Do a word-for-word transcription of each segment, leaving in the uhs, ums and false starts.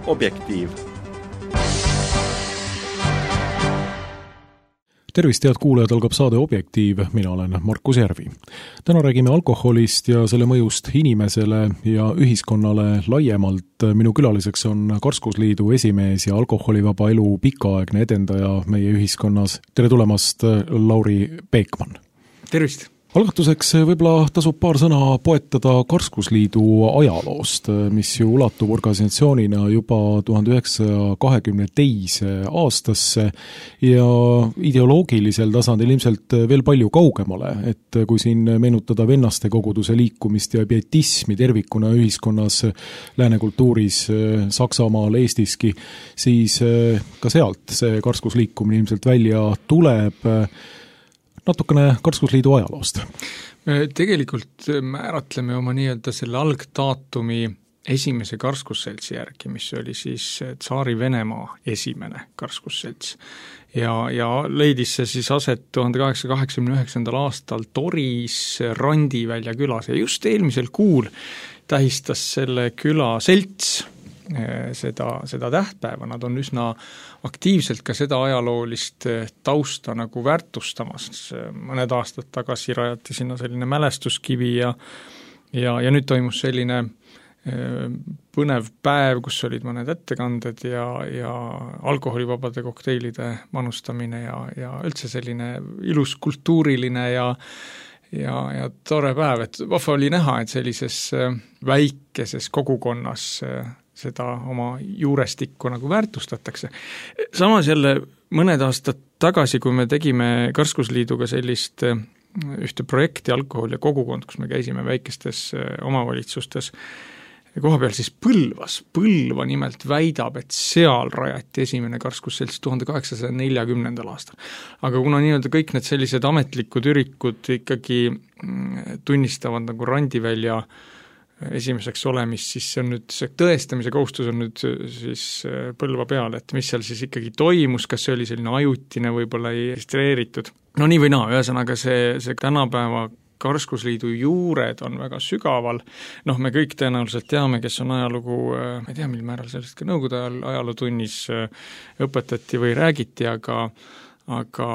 Objektiiv. Tervist, head kuulajad, algab saade Objektiiv, mina olen Markus Järvi. Täna räägime alkoholist ja selle mõjust inimesele ja ühiskonnale laiemalt. Minu külaliseks on Karskusliidu esimees ja alkoholivaba elu pikaaegne edendaja meie ühiskonnas. Tere tulemast, Lauri Peekman. Tervist! Algatuseks võib-olla tasub paar sõna poetada Karskusliidu ajaloost, mis ju ulatub organisatsioonina juba tuhande üheksasaja kahekümne teise aastasse ja ideoloogilisel tasandil ilmselt veel palju kaugemale, et kui siin meenutada vennaste koguduse liikumist ja pietismi tervikuna ühiskonnas, lääne kultuuris, Saksamaal, Eestiski, siis ka sealt see karskusliikumine ilmselt välja tuleb. Natukene Karskusliidu ajaloost. Me tegelikult määratleme oma nii-öelda selle algdaatumi esimese karskusseltsi järgi, mis oli siis Tsaari Venemaa esimene karskusselts. Ja, ja leidis see siis aset tuhande kaheksasaja kaheksakümne üheksandal aastal Toris Randivälja külas ja just eelmisel kuul tähistas selle küla selts seda, seda tähtpäeva. Nad on üsna aktiivselt ka seda ajaloolist tausta nagu väärtustamas. Mõned aastad tagasi rajati sinna selline mälestuskivi ja, ja, ja nüüd toimus selline põnev päev, kus olid mõned ettekanded ja, ja alkoholivabade kokteilide manustamine ja, ja üldse selline ilus kultuuriline ja ja, ja tore päev, et vahva oli näha, et sellises väikeses kogukonnas seda oma juurestikku nagu väärtustatakse. Samas jälle mõned aastad tagasi, kui me tegime Karskusliiduga sellist ühte projekti alkohol ja kogukond, kus me käisime väikestes omavalitsustes koha peal, siis Põlvas. Põlva nimelt väidab, et seal rajati esimene karskusselts tuhande kaheksasaja neljakümnendal aastal. Aga kuna nii-öelda kõik need sellised ametlikud ürikud ikkagi tunnistavad nagu Randivälja esimeseks olemist, siis see on nüüd, see tõestamise kohustus on nüüd siis Põlva peal, et mis seal siis ikkagi toimus, kas see oli selline ajutine, võib-olla ei registreeritud. No nii või naa, ühesõnaga see, see tänapäeva Karskusliidu juured on väga sügaval. Noh, me kõik tõenäoliselt teame, kes on ajalugu, ma ei tea, mil määral sellest ka nõukogude ajal ajalootunnis õpetati või räägiti, aga, aga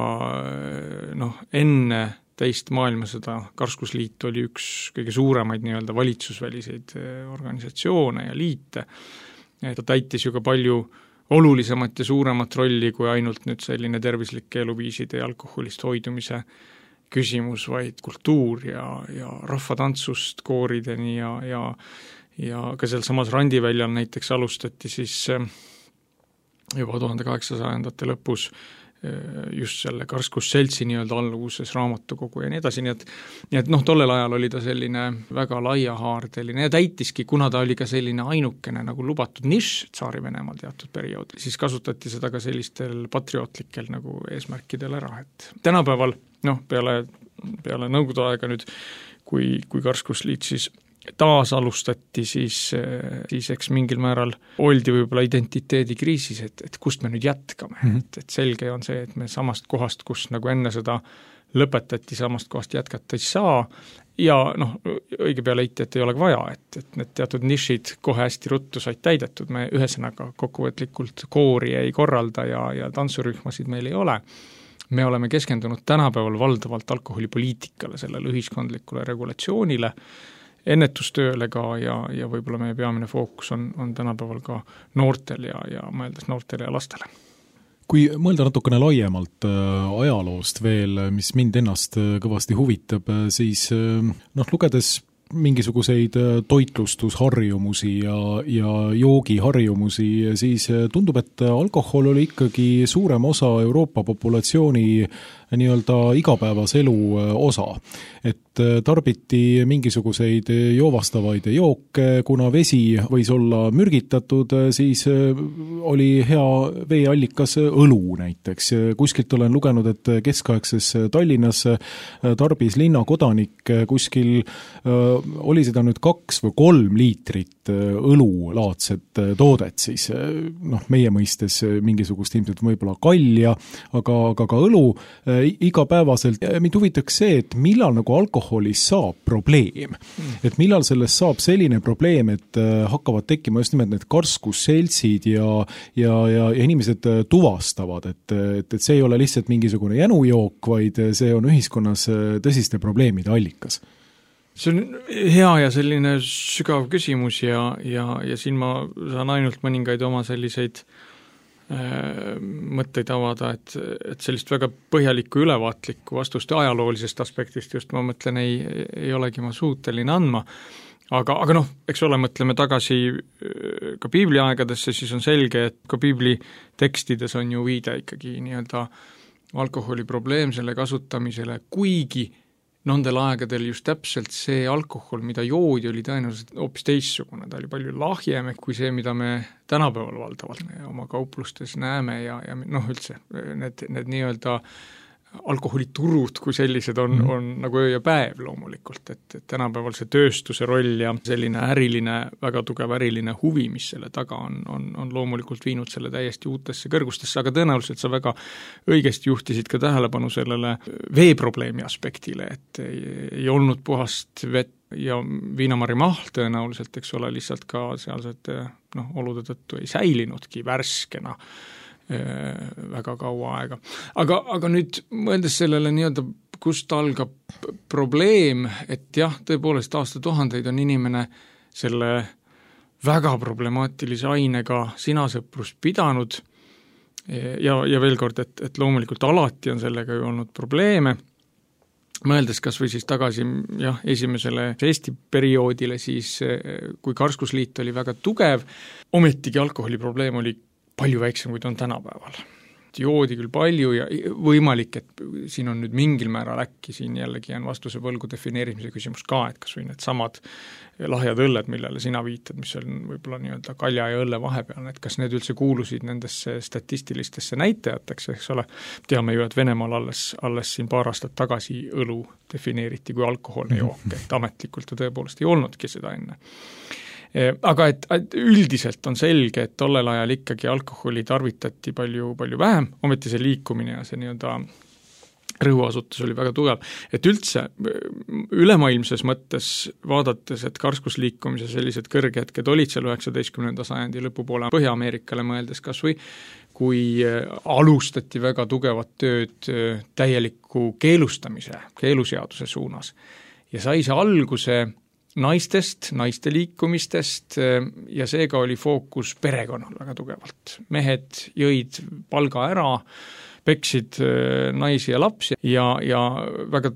noh, enne teist maailmasõda Karskusliit oli üks kõige suuremaid nii-öelda valitsusväliseid organisatsioone ja liite. Ta täitis ju ka palju olulisemat ja suuremat rolli kui ainult nüüd selline tervislike eluviiside ja alkoholist hoidumise küsimus, vaid kultuur ja, ja rahvatantsust koorideni ja, ja, ja ka seal samas Randiväljal näiteks alustati siis juba tuhande kaheksasajandate lõpus just selle Karskusseltsi nii-öelda alluvuses raamatukogu ja nii edasi, nii et, nii et noh, tollel ajal oli ta selline väga laiahaardeline ja täitiski, kuna ta oli ka selline ainukene nagu lubatud nišš Tsaari Venemaal teatud perioodil, siis kasutati seda ka sellistel patriootlikel nagu eesmärkidel ära, et tänapäeval noh, peale, peale nõukogude aega nüüd, kui, kui Karskusliit siis taas alustati, siis, siis eks mingil määral oldi võib-olla identiteedikriisis, et, et kust me nüüd jätkame. Mm-hmm. Et, et selge on see, et me samast kohast, kus nagu enne seda lõpetati, samast kohast jätkata ei saa ja noh, õige pea leiti, et ei ole vaja, et, et need teatud nišid kohe hästi ruttu said täidetud, me ühesõnaga kokkuvõtlikult koori ei korralda ja, ja tantsurühmasid meil ei ole. Me oleme keskendunud tänapäeval valdavalt alkoholipoliitikale, sellele ühiskondlikule regulatsioonile, ennetustööle ka ja, ja võib-olla meie peamine fookus on, on tänapäeval ka noortel ja, ja mõeldes noortele ja lastele. Kui mõelda natukene laiemalt ajaloost veel, mis mind ennast kõvasti huvitab, siis noh, lugedes mingisuguseid toitlustusharjumusi ja, ja joogiharjumusi, siis tundub, et alkohol oli ikkagi suurem osa Euroopa populatsiooni nii-öelda igapäevaselu osa. Et tarbiti mingisuguseid joovastavaid jooke, kuna vesi võis olla mürgitatud, siis oli hea veeallikas õlu näiteks. Kuskilt olen lugenud, et keskaegses Tallinnas tarbis linnakodanik kuskil oli seda nüüd kaks või kolm liitrit õlulaadset toodet, siis noh, meie mõistes mingisugust ilmselt võib-olla kalja, aga, aga ka õlu igapäevaselt. Mind huvitaks see, et millal nagu alkoholist saab probleem. Mm. Et millal sellest saab selline probleem, et hakkavad tekkima just nimelt need karskusseltsid ja, ja, ja, ja inimesed tuvastavad, et, et, et see ei ole lihtsalt mingisugune jänujook, vaid see on ühiskonnas tõsiste probleemide allikas. See on hea ja selline sügav küsimus ja, ja, ja siin ma saan ainult mõningaid oma selliseid äh, mõtteid avada, et, et sellist väga põhjalikku ülevaatlikku vastuste ajaloolisest aspektist just ma mõtlen, ei, ei olegi ma suuteline andma. Aga, aga noh, eks ole, mõtleme tagasi ka piibli aegadesse, siis on selge, et ka piibli tekstides on ju viide ikkagi nii-öelda alkoholi probleemsele kasutamisele, kuigi nendel aegadel just täpselt see alkohol, mida joodi, oli tõenäoliselt hoopis teissugune, ta oli palju lahjem kui see, mida me tänapäeval valdavalt oma kauplustes näeme ja, ja noh, üldse need, need nii-öelda alkoholiturud kui sellised on, mm. on nagu öö ja päev loomulikult, et, et tänapäeval see tööstuse roll ja selline äriline, väga tugev äriline huvi, mis selle taga on, on, on loomulikult viinud selle täiesti uutesse kõrgustesse, aga tõenäoliselt sa väga õigesti juhtisid ka tähelepanu sellele veeprobleemi aspektile, et ei, ei olnud puhast vett ja viinamarja mahl tõenäoliselt, eks ole, lihtsalt ka sealsed noh, olude tõttu ei säilinudki värskena väga kaua aega. Aga, aga nüüd mõeldes sellele nii-öelda, kust algab probleem, et jah, tõepoolest aastatuhandeid on inimene selle väga problemaatilise ainega sinasõprust pidanud ja, ja veel kord, et, et loomulikult alati on sellega ju olnud probleeme, mõeldes kas või siis tagasi jah, esimesele Eesti perioodile, siis kui Karskusliit oli väga tugev, ometigi alkoholi probleem oli palju väiksem, kui ta on tänapäeval. Joodi küll palju ja võimalik, et siin on nüüd mingil määral äkki, siin jällegi on vastuse võlgu defineerimise küsimus ka, et kas või need samad lahjad õlled, millele sina viitad, mis on võib-olla nii-öelda kalja ja õlle vahepeal, et kas need üldse kuulusid nendesse statistilistesse näitajateks, eks ole, teame ju, et Venemaal alles, alles siin paar aastat tagasi õlu defineeriti kui alkoholne jook, et ametlikult ta tõepoolest ei olnudki seda enne. Aga et, et üldiselt on selge, et tollel ajal ikkagi alkoholi tarvitati palju, palju vähem, ometi see liikumine ja see nii-öelda rõhuasutus oli väga tugev. Et üldse ülemaailmses mõttes vaadates, et karskusliikumise sellised kõrghetked olid seal üheksateistkümnenda sajandi lõpupoole Põhja-Ameerikale mõeldes kas või, kui alustati väga tugevat tööd täieliku keelustamise, keeluseaduse suunas ja sai see alguse naistest, naiste liikumistest ja seega oli fookus perekonnal väga tugevalt. Mehed jõid palga ära, peksid naisi ja lapsi ja, ja väga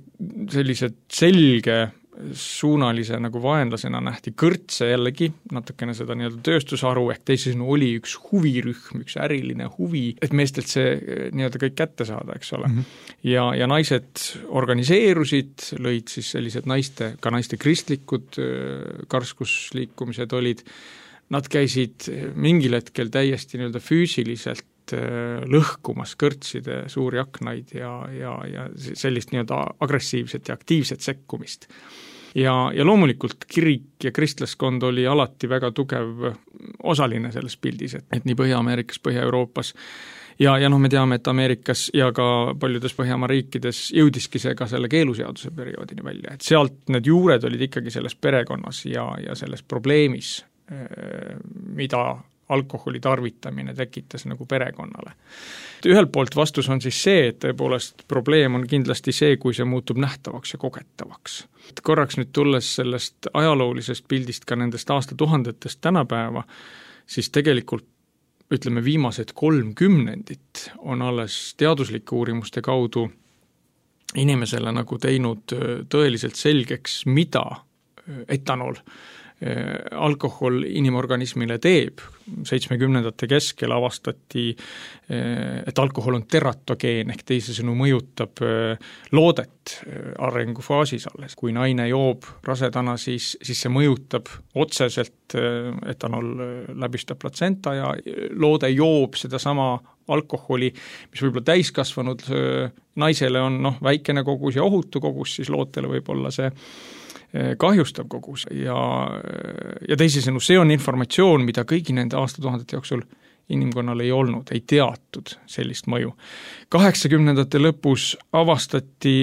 sellised selge suunalise nagu vaenlasena nähti kõrtse jällegi, natukene seda nii-öelda tööstusharu, ehk teisisõnu oli üks huvirühm, üks äriline huvi, et meestelt see nii-öelda kõik kätte saada, eks ole. Mm -hmm. ja, ja naised organiseerusid, lõid siis sellised naiste, ka naiste kristlikud karskusliikumised olid, nad käisid mingil hetkel täiesti nii-öelda füüsiliselt lõhkumas kõrtside suuri aknaid ja, ja, ja sellist nii-öelda agressiivset ja aktiivset sekkumist. Ja, ja loomulikult kirik ja kristlaskond oli alati väga tugev osaline selles pildis, et, et nii Põhja-Ameerikas, Põhja-Euroopas ja, ja noh, me teame, et Ameerikas ja ka paljudes Põhjamaa riikides jõudiski see ka selle keeluseaduse perioodini välja, et sealt need juured olid ikkagi selles perekonnas ja, ja selles probleemis, mida alkoholi tarvitamine tekitas nagu perekonnale. Ühelt poolt vastus on siis see, et tõepoolest probleem on kindlasti see, kui see muutub nähtavaks ja kogetavaks. Korraks nüüd tulles sellest ajaloolisest pildist ka nendest aastatuhandetest tänapäeva, siis tegelikult ütleme viimased kolm kümnendit on alles teaduslike uurimuste kaudu inimesele nagu teinud tõeliselt selgeks, mida etanol alkohol inimorganismile teeb. seitsmekümnendate keskel avastati, et alkohol on teratogeen ehk teisisõnu mõjutab loodet arengufaasis alles. Kui naine joob rasedana, siis, siis see mõjutab otseselt, etanol läbistab platsenta ja loode joob sedasama alkoholi, mis võib-olla täiskasvanud naisele on noh, väikene kogus ja ohutu kogus, siis lootele võib olla see kahjustav kogus ja, ja teisisõnu, see on informatsioon, mida kõigi nende aastatuhandete jooksul inimkonnal ei olnud, ei teatud sellist mõju. kaheksakümnendate lõpus avastati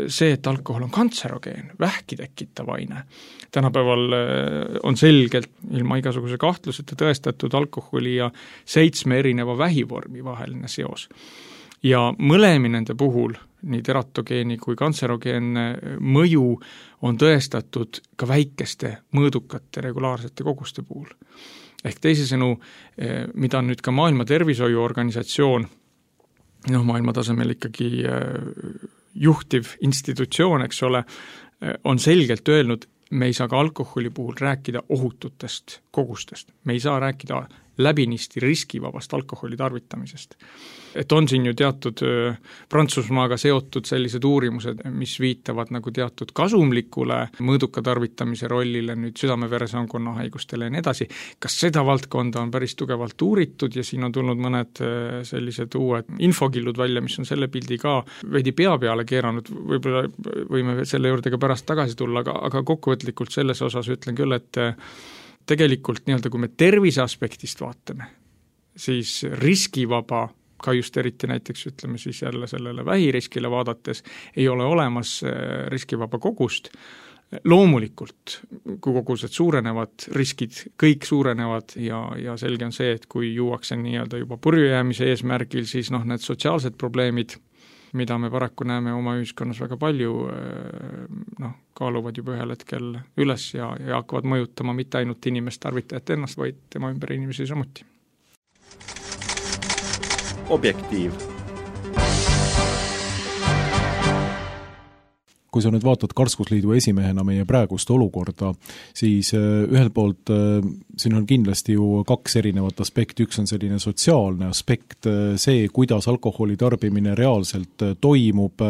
see, et alkohol on kantserogeen, vähki tekitav aine. Tänapäeval on selgelt ilma igasuguse kahtluseta tõestatud alkoholi ja seitsme erineva vähivormi vaheline seos. Ja mõlemi nende puhul, nii teratogeeni kui kantserogeenne mõju on tõestatud ka väikeste mõõdukate regulaarsete koguste puhul. Ehk teisisõnu, mida nüüd ka Maailma Tervishoiuorganisatsioon, noh, maailma tasemel ikkagi juhtiv institutsioon, eks ole, on selgelt öelnud, me ei saa ka alkoholi puhul rääkida ohututest kogustest. Me ei saa rääkida läbinisti riskivabast alkoholi tarvitamisest. Et on siin ju teatud Prantsusmaaga seotud sellised uurimused, mis viitavad nagu teatud kasumlikule mõõduka tarvitamise rollile nüüd südame-veresoonkonna haigustele ja nii edasi. Kas seda valdkonda on päris tugevalt uuritud ja siin on tulnud mõned sellised uued infokillud välja, mis on selle pildi ka veidi pea peale keeranud, võib-olla võime selle juurde ka pärast tagasi tulla, aga, aga kokkuvõtlikult selles osas ütlen küll, et tegelikult nii-öelda, kui me tervise aspektist vaatame, siis riskivaba, ka just eriti näiteks ütleme siis jälle sellele vähiriskile vaadates, ei ole olemas riskivaba kogust. Loomulikult, kui kogused suurenevad, riskid kõik suurenevad ja, ja selge on see, et kui juuakse nii-öelda juba purjujäämise eesmärgil, siis noh, need sotsiaalsed probleemid, mida me paraku näeme oma ühiskonnas väga palju, noh, kaaluvad juba ühel hetkel üles ja, ja hakkavad mõjutama mitte ainult inimest tarvitajat ennast, vaid tema ümber inimesi samuti. Objektiiv. Kui sa nüüd vaatad Karskusliidu esimehena meie praegust olukorda, siis ühelt poolt siin on kindlasti ju kaks erinevat aspekti, üks on selline sotsiaalne aspekt, see, kuidas alkoholi tarbimine reaalselt toimub,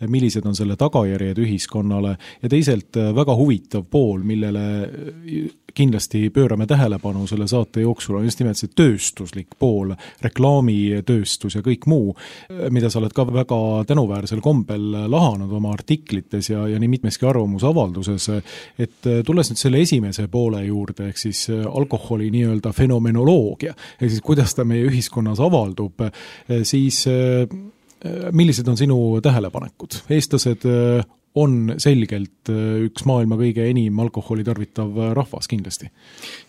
millised on selle tagajärjed ühiskonnale ja teiselt väga huvitav pool, millele kindlasti pöörame tähelepanu selle saate jooksul, on just nimelt see tööstuslik pool, reklaamitööstus ja kõik muu, mida sa oled ka väga tänuväärsel kombel lahanud oma artiklites ja, ja nii mitmeski arvamusavalduses, et tulles nüüd selle esimese poole juurde, ehk siis alkoholi nii-öelda fenomenoloogia, ehk siis kuidas ta meie ühiskonnas avaldub, siis millised on sinu tähelepanekud? Eestlased on selgelt üks maailma kõige enim alkoholi tarvitav rahvas kindlasti.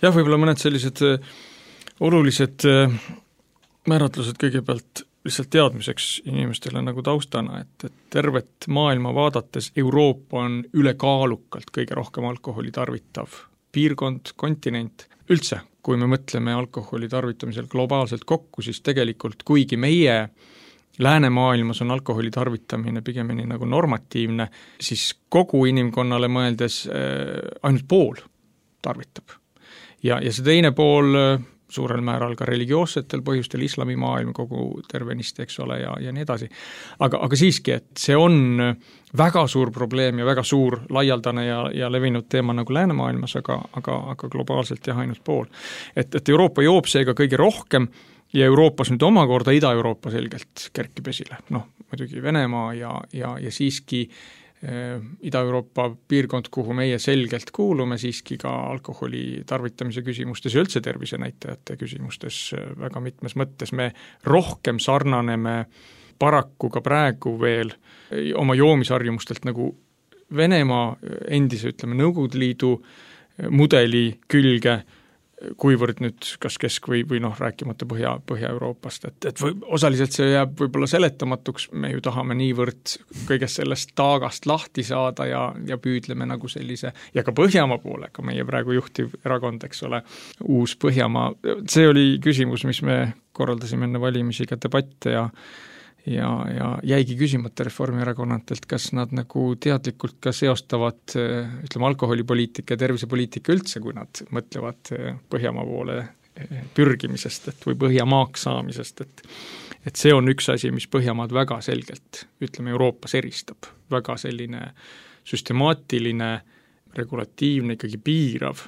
Jah, võib-olla mõned sellised olulised määratlused kõigepealt lihtsalt teadmiseks inimestele nagu taustana, et, et tervet maailma vaadates Euroopa on ülekaalukalt kõige rohkem alkoholi tarvitav piirkond, kontinent. Üldse, kui me mõtleme alkoholi tarvitamisel globaalselt kokku, siis tegelikult kuigi meie läänemaailmas on alkoholi tarvitamine pigemini nagu normatiivne, siis kogu inimkonnale mõeldes ainult pool tarvitab. Ja, ja see teine pool suurel määral ka religioossetel põhjustel, islamimaailm kogu tervenisti, eks ole, ja, ja nii edasi. Aga, aga siiski, et see on väga suur probleem ja väga suur laialdane ja, ja levinud teema nagu läänemaailmas, aga, aga, aga globaalselt jah ainult pool. Et, et Euroopa joob seega kõige rohkem ja Euroopas nüüd omakorda Ida-Euroopa selgelt kerkib esile. Noh, muidugi Venemaa ja, ja, ja siiski äh, Ida-Euroopa piirkond, kuhu meie selgelt kuulume, siiski ka alkoholi tarvitamise küsimustes ja üldse tervisenäitajate küsimustes väga mitmes mõttes. Me rohkem sarnaneme paraku ka praegu veel oma joomisharjumustelt nagu Venemaa endise, ütleme, Nõukogude Liidu mudeli külge, kuivõrd nüüd kas kesk või, või noh, rääkimata Põhja, Põhja-Euroopast, et, et või, osaliselt see jääb võib-olla seletamatuks, me ju tahame niivõrd kõigest sellest taagast lahti saada ja, ja püüdleme nagu sellise, ja ka Põhjamaa poole, ka meie praegu juhtiv erakond, eks ole, uus Põhjamaa, see oli küsimus, mis me korraldasime enne valimisi ka debatte ja ja, ja jäigi küsimata Reformierakonnatelt, kas nad nagu teadlikult ka seostavad, ütleme, alkoholipoliitika ja tervisepoliitika üldse, kui nad mõtlevad Põhjamaa poole pürgimisest, et või Põhjamaaks saamisest, et et see on üks asi, mis Põhjamaad väga selgelt, ütleme, Euroopas eristab. Väga selline süstemaatiline, regulatiivne, ikkagi piirav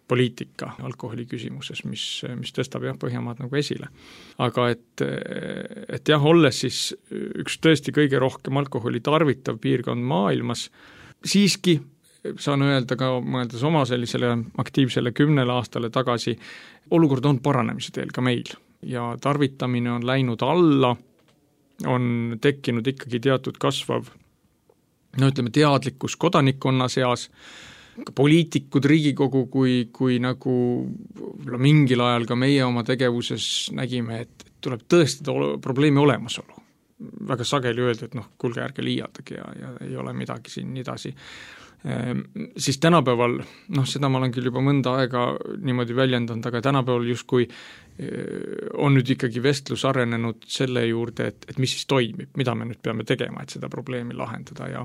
poliitika alkoholi küsimuses, mis, mis tõstab jah Põhjamaad nagu esile. Aga et, et jah, olles siis üks tõesti kõige rohkem alkoholi tarvitav piirkond maailmas, siiski saan öelda ka, mõeldes oma sellisele aktiivsele kümnele aastale tagasi, olukord on paranemise teel ka meil ja tarvitamine on läinud alla, on tekkinud ikkagi teatud kasvav, no ütleme, teadlikkus kodanikkonna seas, ka poliitikud, Riigikogu, kui, kui nagu mingil ajal ka meie oma tegevuses nägime, et tuleb tõestada probleemi olemasolu. Väga sageli öelda, et noh, kuulge, ärge liialdagi ja, ja ei ole midagi siin nii edasi. Ehm, siis tänapäeval, noh, seda ma olen küll juba mõnda aega niimoodi väljendanud, aga tänapäeval justkui on nüüd ikkagi vestlus arenenud selle juurde, et, et mis siis toimib, mida me nüüd peame tegema, et seda probleemi lahendada ja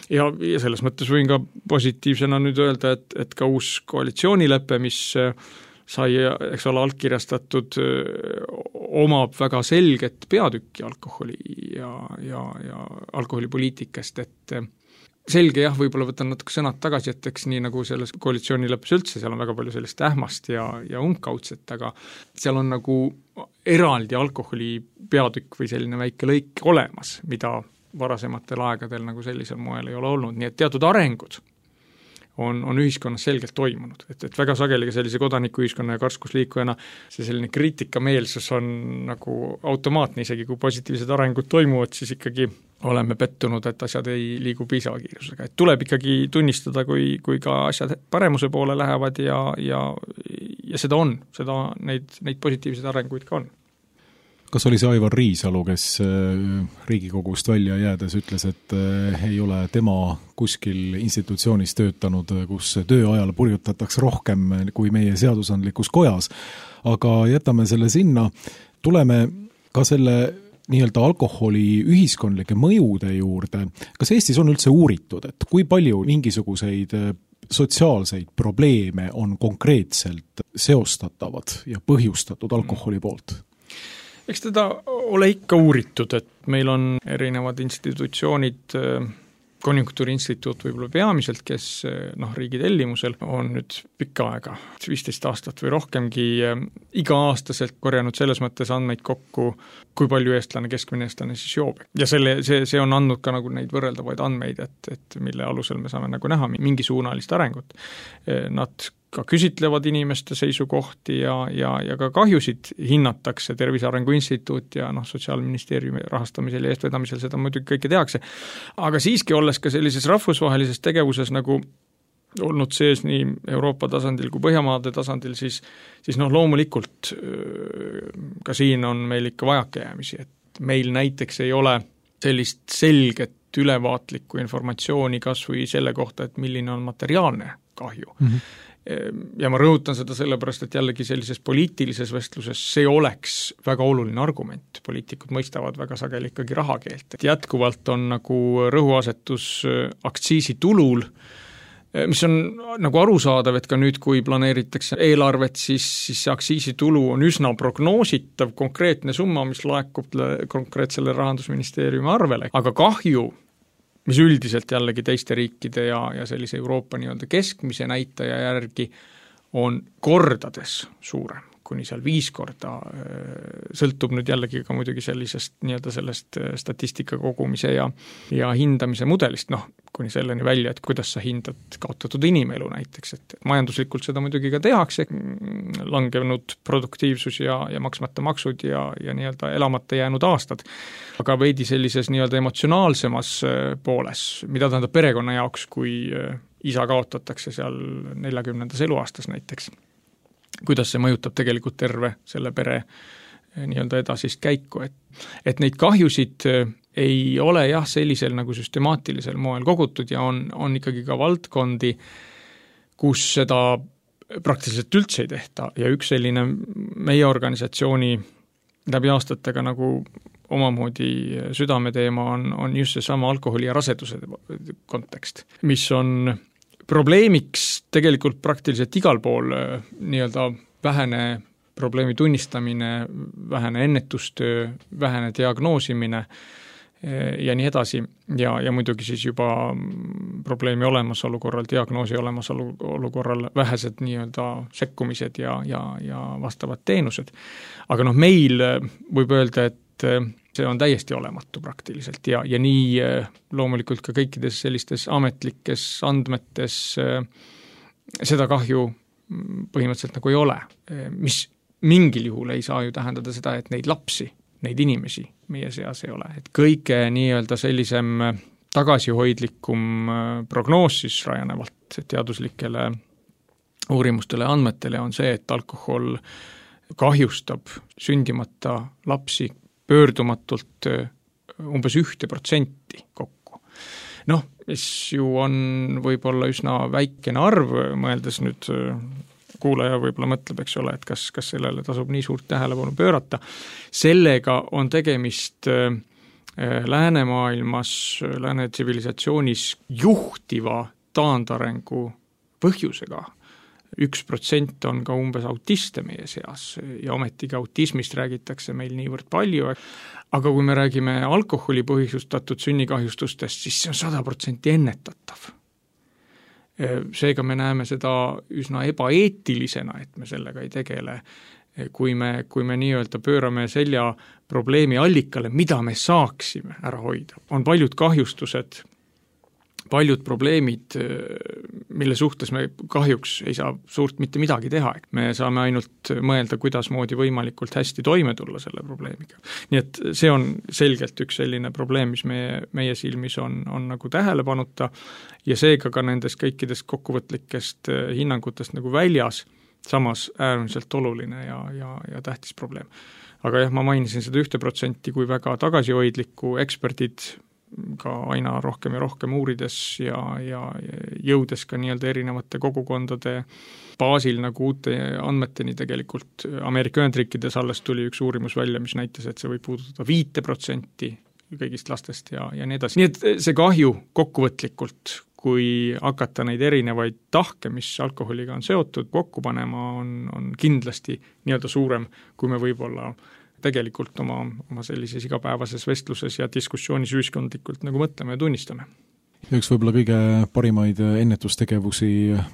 ja, ja selles mõttes võin ka positiivsena nüüd öelda, et, et ka uus koalitsioonilepe, mis sai, eks ole, allkirjastatud, omab väga selget peatükki alkoholi ja, ja, ja alkoholipoliitikast, et selge jah, võib-olla võtan natuke sõnad tagasi, et eks nii nagu selles koalitsioonileppes üldse, seal on väga palju sellist ähmast ja, ja umbkaudset, aga seal on nagu eraldi alkoholi peatükk või selline väike lõik olemas, mida varasematel aegadel nagu sellisel moel ei ole olnud, nii et teatud arengud on, on ühiskonnas selgelt toimunud, et, et väga sageli ka sellise kodanikuühiskonna ja karskusliikujana see selline kriitikameelsus on nagu automaatne, isegi kui positiivsed arengud toimuvad, siis ikkagi oleme pettunud, et asjad ei liigu piisava kiirusega, et tuleb ikkagi tunnistada, kui, kui ka asjad paremuse poole lähevad ja, ja, ja seda on, seda neid, neid positiivseid arenguid ka on. Kas oli see Aivar Riisalu, kes Riigikogust välja jäädes ütles, et ei ole tema kuskil institutsioonis töötanud, kus tööajal purjutatakse rohkem kui meie seadusandlikus kojas, aga jätame selle sinna, tuleme ka selle nii-öelda alkoholi ühiskondlike mõjude juurde. Kas Eestis on üldse uuritud, et kui palju mingisuguseid sotsiaalseid probleeme on konkreetselt seostatavad ja põhjustatud alkoholi poolt? Eks teda ole ikka uuritud, et meil on erinevad institutsioonid, konjunktuuriinstituut võib-olla peamiselt, kes noh, riigi tellimusel on nüüd pikka aega, viisteist aastat või rohkemgi iga-aastaselt korjanud selles mõttes andmeid kokku, kui palju eestlane, keskmine eestlane siis joob. Ja selle, see, see on andnud ka nagu neid võrreldavaid andmeid, et, et mille alusel me saame nagu näha mingi suunalist arengut. Nad ka küsitlevad inimeste seisukohti ja, ja, ja ka kahjusid hinnatakse, Tervise Arengu Instituut ja noh, Sotsiaalministeeriumi rahastamisel ja eestvedamisel seda muidugi kõike tehakse. Aga siiski olles ka sellises rahvusvahelises tegevuses nagu olnud sees nii Euroopa tasandil kui Põhjamaade tasandil, siis, siis noh, loomulikult ka siin on meil ikka vajakajäämisi, et meil näiteks ei ole sellist selget ülevaatlikku informatsiooni kas või selle kohta, et milline on materiaalne kahju. Mm-hmm. Ja ma rõhutan seda sellepärast, et jällegi sellises poliitilises vestluses see oleks väga oluline argument. Poliitikud mõistavad väga sageli ikkagi rahakeelt. Et jätkuvalt on nagu rõhuasetus aktsiisitulul, mis on nagu arusaadav, et ka nüüd, kui planeeritakse eelarvet, siis, siis see aktsiisitulu on üsna prognoositav, konkreetne summa, mis laekub konkreetsele Rahandusministeeriumi arvele, aga kahju, mis üldiselt jällegi teiste riikide ja, ja sellise Euroopa nii-öelda keskmise näitaja järgi on kordades suurem, kuni seal viis korda, sõltub nüüd jällegi ka muidugi sellisest nii-öelda sellest statistika kogumise ja, ja hindamise mudelist, noh, kuni selleni välja, et kuidas sa hindad kaotatud inimelu näiteks, et majanduslikult seda muidugi ka tehakse, langenud produktiivsus ja, ja maksmata maksud ja, ja nii-öelda elamata jäänud aastad, aga veidi sellises nii-öelda emotsionaalsemas pooles, mida tähendab perekonna jaoks, kui isa kaotatakse seal neljakümnendas eluaastas näiteks, kuidas see mõjutab tegelikult terve selle pere nii-öelda edasist käiku, et, et neid kahjusid ei ole jah sellisel nagu süstemaatilisel moel kogutud ja on, on ikkagi ka valdkondi, kus seda praktiliselt üldse ei tehta ja üks selline meie organisatsiooni läbi aastatega nagu omamoodi südameteema on, on just see sama alkoholi ja raseduse kontekst, mis on probleemiks tegelikult praktiliselt igal pool nii-öelda vähene probleemi tunnistamine, vähene ennetustöö, vähene diagnoosimine ja nii edasi. Ja, ja muidugi siis juba probleemi olemasolu korral, diagnoosi olemasolu korral vähesed nii-öelda sekkumised ja, ja, ja vastavad teenused. Aga noh, meil võib öelda, et see on täiesti olematu praktiliselt ja, ja nii loomulikult ka kõikides sellistes ametlikes andmetes seda kahju põhimõtteliselt nagu ei ole, mis mingil juhul ei saa ju tähendada seda, et neid lapsi, neid inimesi meie seas ei ole, et kõige nii-öelda sellisem tagasihoidlikum prognoos siis rajanevalt teaduslikele uurimustele ja andmetele on see, et alkohol kahjustab sündimata lapsi pöördumatult umbes ühte protsenti kokku. Noh, mis ju on võib-olla üsna väikene arv, mõeldes nüüd kuulaja võib-olla mõtleb, eks ole, et kas, kas sellele tasub nii suurt tähelepanu pöörata. Sellega on tegemist läänemaailmas, lääne tsivilisatsioonis juhtiva taandarengu põhjusega. Üks protsent on ka umbes autiste meie seas ja ometigi autismist räägitakse meil niivõrd palju, aga kui me räägime alkoholi põhjustatud sünnikahjustustest, siis see on sada protsenti ennetatav. Seega me näeme seda üsna ebaeetilisena, et me sellega ei tegele, kui me, kui me nii-öelda pöörame selja probleemi allikale, mida me saaksime ära hoida. On paljud kahjustused, paljud probleemid, mille suhtes me kahjuks ei saa suurt mitte midagi teha. Me saame ainult mõelda, kuidas moodi võimalikult hästi toime tulla selle probleemiga. Nii et see on selgelt üks selline probleem, mis meie, meie silmis on, on nagu tähelepanuta ja seega ka nendest kõikidest kokkuvõtlikest hinnangutest nagu väljas, samas äärmiselt oluline ja, ja, ja tähtis probleem. Aga jah, ma mainisin seda ühte protsenti kui väga tagasihoidlikku, eksperdid ka aina rohkem ja rohkem uurides ja, ja jõudes ka nii-öelda erinevate kogukondade baasil nagu uute andmeteni tegelikult Ameerika Ühendriikides alles tuli üks uurimus välja, mis näitas, et see võib puudutada viite protsenti kõigist lastest ja, ja nii edasi. Nii et see kahju kokkuvõtlikult, kui hakata neid erinevaid tahke, mis alkoholiga on seotud, kokku panema, on, on kindlasti nii-öelda suurem, kui me võib-olla tegelikult oma, oma sellises igapäevases vestluses ja diskussioonis ühiskondlikult nagu mõtleme ja tunnistame. Üks võib-olla kõige parimaid ennetustegevusi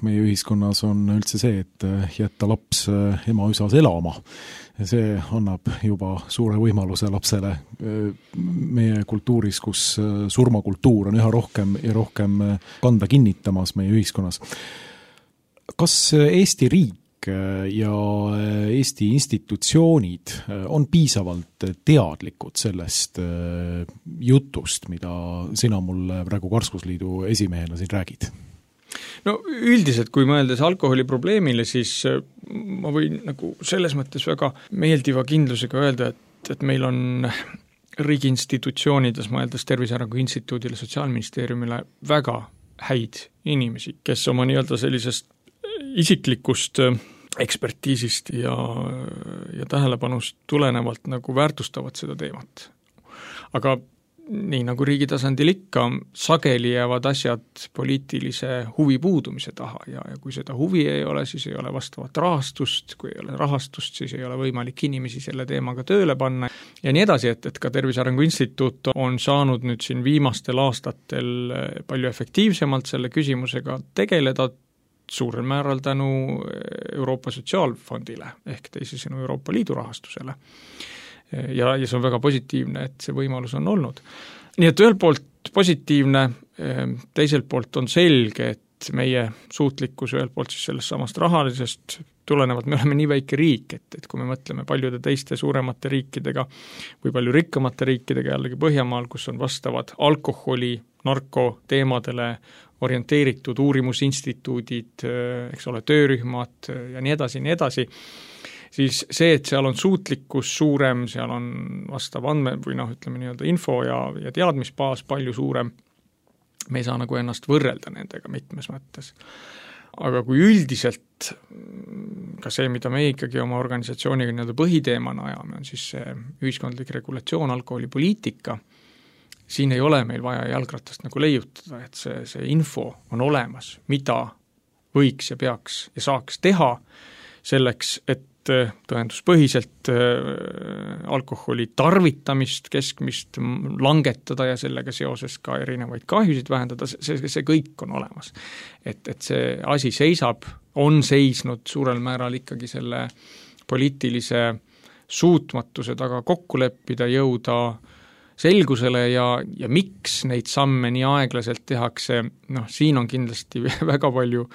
meie ühiskonnas on üldse see, et jätta laps ema üsas elama. See annab juba suure võimaluse lapsele meie kultuuris, kus surmakultuur on üha rohkem ja rohkem kanda kinnitamas meie ühiskonnas. Kas Eesti riik ja Eesti institutsioonid on piisavalt teadlikud sellest jutust, mida sina mulle praegu Karskusliidu esimehena siin räägid? No üldiselt, kui mõeldes alkoholi probleemile, siis ma võin nagu selles mõttes väga meeldiva kindlusega öelda, et, et meil on riigi institutsioonides, mõeldes Tervise Arengu Instituudile, Sotsiaalministeeriumile väga häid inimesi, kes oma nii-öelda sellisest isiklikust ekspertiisist ja, ja tähelepanust tulenevalt nagu väärtustavad seda teemat. Aga nii nagu riigi tasandil ikka, sageli jäävad asjad poliitilise huvi puudumise taha ja, ja kui seda huvi ei ole, siis ei ole vastavat rahastust, kui ei ole rahastust, siis ei ole võimalik inimesi selle teemaga tööle panna ja nii edasi, et, et ka Tervise Arengu Instituut on saanud nüüd siin viimastel aastatel palju efektiivsemalt selle küsimusega tegeleda, suurel määral tänu Euroopa Sotsiaalfondile ehk teisisõnu Euroopa Liidu rahastusele. Ja, ja see on väga positiivne, et see võimalus on olnud. Nii et ühelt poolt positiivne, teiselt poolt on selge, et meie suutlikkus ühelt poolt siis sellest samast rahalisest tulenevalt, me oleme nii väike riik, et, et kui me mõtleme paljude teiste suuremate riikidega või palju rikkamate riikidega jällegi Põhjamaal, kus on vastavad alkoholi, narko teemadele orienteeritud uurimusinstituudid, eks ole, töörühmad ja nii edasi, nii edasi, siis see, et seal on suutlikkus suurem, seal on vastav andme või noh, ütleme nii-öelda info ja, ja teadmisbaas palju suurem, me ei saa nagu ennast võrrelda nendega mitmes mõttes. Aga kui üldiselt ka see, mida me ikkagi oma organisatsiooniga nii-öelda põhiteemana ajame, on siis see ühiskondlik regulatsioon, alkoholipoliitika, siin ei ole meil vaja jalgratast nagu leiutada, et see, see info on olemas, mida võiks ja peaks ja saaks teha selleks, et tõenduspõhiselt alkoholi tarvitamist, keskmist langetada ja sellega seoses ka erinevaid kahjusid vähendada, see, see kõik on olemas. Et, et see asi seisab, on seisnud suurel määral ikkagi selle poliitilise suutmatuse taga kokku leppida, jõuda selgusele ja, ja miks neid samme nii aeglaselt tehakse, noh, siin on kindlasti väga palju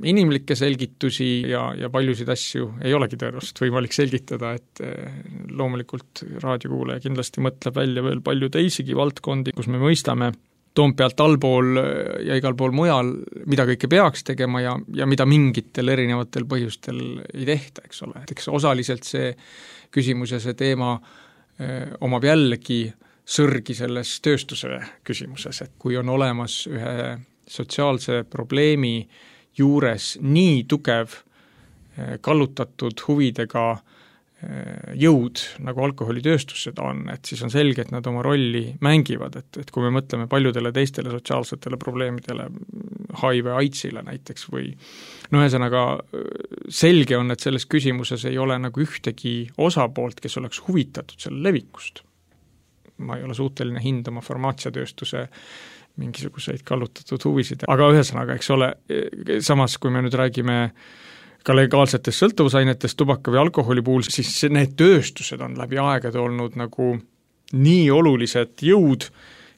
inimlikke selgitusi ja, ja paljusid asju ei olegi tõenäoliselt võimalik selgitada, et loomulikult raadiokuulaja kindlasti mõtleb välja veel palju teisigi valdkondi, kus me mõistame Toompealt allpool ja igal pool mujal, mida kõike peaks tegema ja, ja mida mingitel erinevatel põhjustel ei tehta, eks ole. Eks osaliselt see küsimus ja see teema öö, omab jällegi sõrgi selles tööstuse küsimuses, et kui on olemas ühe sotsiaalse probleemi juures nii tugev kallutatud huvidega jõud, nagu alkoholitööstus seda on, et siis on selge, et nad oma rolli mängivad, et, et kui me mõtleme paljudele teistele sotsiaalsetele probleemidele, H I V AIDSile näiteks või no ühesõnaga selge on, et selles küsimuses ei ole nagu ühtegi osapoolt, kes oleks huvitatud selle levikust. Ma ei ole suuteline hindama farmaatsiatööstuse mingisuguseid kallutatud huvisid, aga ühesõnaga, eks ole, samas kui me nüüd räägime ka legaalsetest sõltuvusainetest tubaka või alkoholi puhul, siis need tööstused on läbi aegade olnud nagu nii olulised jõud,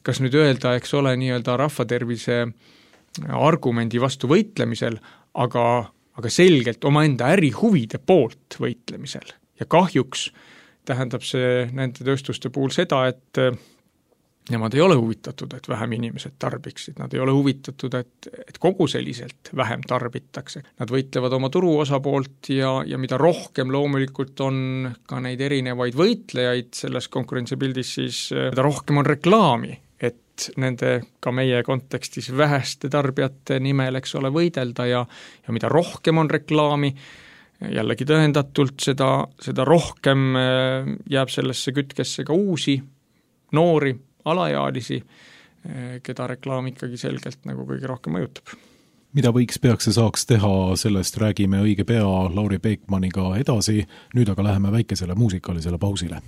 kas nüüd öelda, eks ole, nii-öelda rahvatervise argumendi vastu võitlemisel, aga, aga selgelt omaenda ärihuvide poolt võitlemisel. Ja kahjuks tähendab see nende tööstuste puhul seda, et nemad ei ole huvitatud, et vähem inimesed tarbiksid, nad ei ole huvitatud, et, et kogu selliselt vähem tarbitakse. Nad võitlevad oma turu osapoolt ja, ja mida rohkem loomulikult on ka neid erinevaid võitlejaid selles konkurentsipildis, siis mida rohkem on reklaami, et nende ka meie kontekstis väheste tarbijate nimel, eks ole, võidelda ja, ja mida rohkem on reklaami, jällegi tõendatult, seda, seda rohkem jääb sellesse kütkesse ka uusi, noori, alaealisi, keda reklaam ikkagi selgelt nagu kõige rohkem mõjutab. Mida võiks, peaks ja saaks teha, sellest räägime õige pea Lauri Peekmaniga edasi, nüüd aga läheme väikesele muusikalisele pausile.